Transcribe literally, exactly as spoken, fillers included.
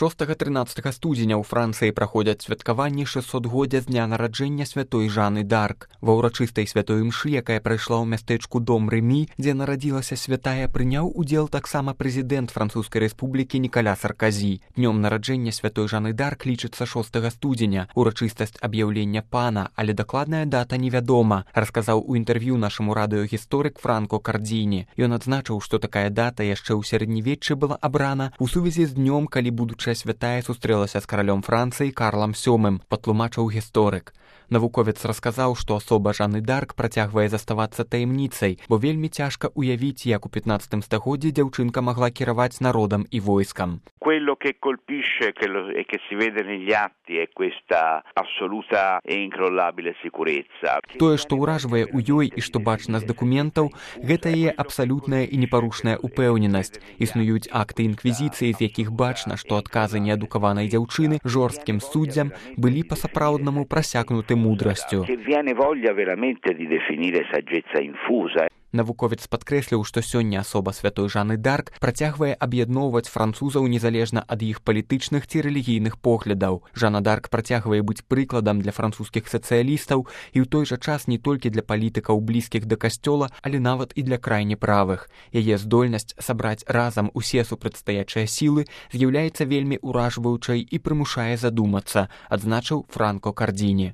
шостага-трынаццатага студзеня ў Францыі праходзяць святкаванні шэсцігоддзя з дня нараджэння святой Жаны д'Арк. Ва ўрачыстай святой імшы, якая прайшла ў мястэчку Дом Рэмі, дзе нарадзілася святая, прыняў удзел таксама прэзідэнт Французскай рэспублікі Нікаля Сарказі. Днём нараджэння святой Жаны д'Арк лічыцца шостага студзеня, урачыстасць аб'яўлення пана, але дакладная дата невядома, расказаў у інтэрв'ю нашаму радыёгісторык Франко Кардзіні. Ён адзначыў, што такая дата яшчэ ў сярэднявеччы была абрана у сувязі з днём, калі будучая святая сустрэлася з каралём Францыі Карлам сёмым, патлумачыў гісторык. Навуковец расказаў, што асоба Жаны д'Арк працягвае заставацца таямніцай, бо вельмі цяжка уявіць, як у пятнаццатым стагоддзі дзяўчынка магла кіраваць народам і войскам. Quello che colpisce che lo, e che si vede negli atti è questa assoluta e incrollabile sicurezza. Тое, што ўражвае ў ёй і што бачна з дакументаў, гэта яе абсалютная і непарушная упэўненасць. Існуюць акты інквізіцыі, з якіх бачна, што адказы неадукаванай дзяўчыны жорсткім суддзям былі па-сапраўднаму прасякнуты мудрасцю. Che viene voglia veramente di definire saggezza infusa. Навуковец падкрэсліў, што сёння асоба святой Жаны д'Арк працягвае аб'ядноўваць французаў незалежна ад іх палітычных ці рэлігійных поглядаў. Жана д'Арк працягвае быць прыкладам для французскіх сацыялістаў і ў той жа час не толькі для палітыкаў блізкіх да касцёла, але нават і для крайне правых. Яе здольнасць сабраць разам усе супрацьстаячыя сілы з'яўляецца вельмі ўражваючай і прымушае задумацца, адзначыў Франко Кардзіні.